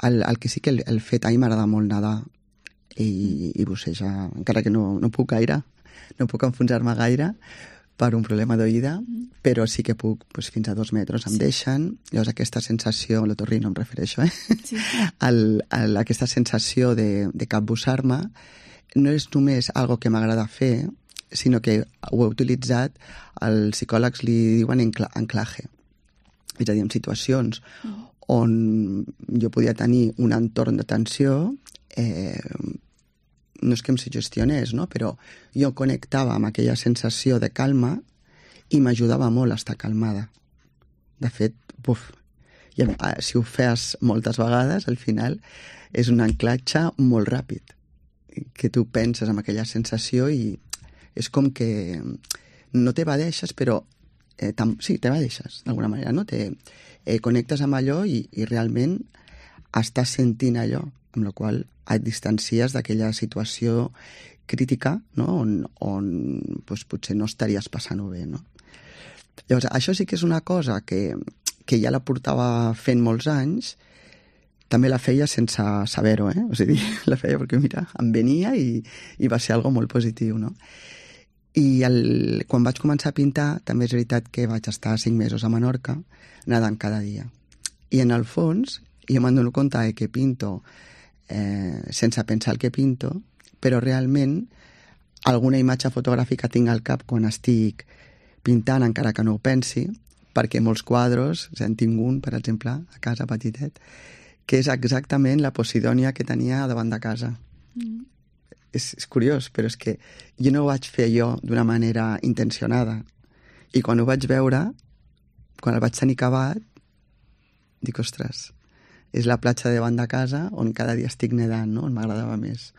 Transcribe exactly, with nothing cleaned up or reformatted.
el, el que sí que el, el fet, a mi m'agrada molt nedar i, i bussejar, encara que no, no puc gaire, no puc enfonsar-me gaire per un problema d'oïda, però sí que puc, doncs, fins a dos metres em sí. deixen. Llavors aquesta sensació, l'otorrino em refereixo, eh? Sí. El, el, aquesta sensació de, de capbussar-me no és només algo que m'agrada fer, sinó que ho he utilitzat, els psicòlegs li diuen anclaje. És a dir, en situacions mm. on jo podia tenir un entorn de tensió, eh, no és que em suggestionés, no? Però jo connectava amb aquella sensació de calma i m'ajudava molt a estar calmada. De fet, buf, i, si ho fes moltes vegades, al final és un anclatge molt ràpid, que tu penses en aquella sensació i és com que no t'evadeixes, però eh, tam, sí, t'evadeixes d'alguna manera, no? Te, eh, connectes amb allò i, i realment estàs sentint allò, amb la qual et distancies d'aquella situació crítica, no? on, on doncs, potser no estaries passant-ho bé. No? Llavors, això sí que és una cosa que, que ja la portava fent molts anys, també la feia sense saber-ho, eh? O sigui, la feia perquè, mira, em venia i, i va ser algo molt positiu, no? I el, quan vaig començar a pintar, també és veritat que vaig estar cinc mesos a Menorca, nedant cada dia. I en el fons, jo me'n dono compte que pinto eh, sense pensar el que pinto, però realment alguna imatge fotogràfica tinc al cap quan estic pintant, encara que no ho pensi, perquè molts quadros, en tinc un, per exemple, a casa petitet, que és exactament la Posidònia que tenia davant de casa. Mm. És, és curiós, però és que jo no ho vaig fer jo d'una manera intencionada. I quan ho vaig veure, quan el vaig tenir acabat, dic, ostres, és la platja de davant de casa on cada dia estic nedant, no? On m'agradava més.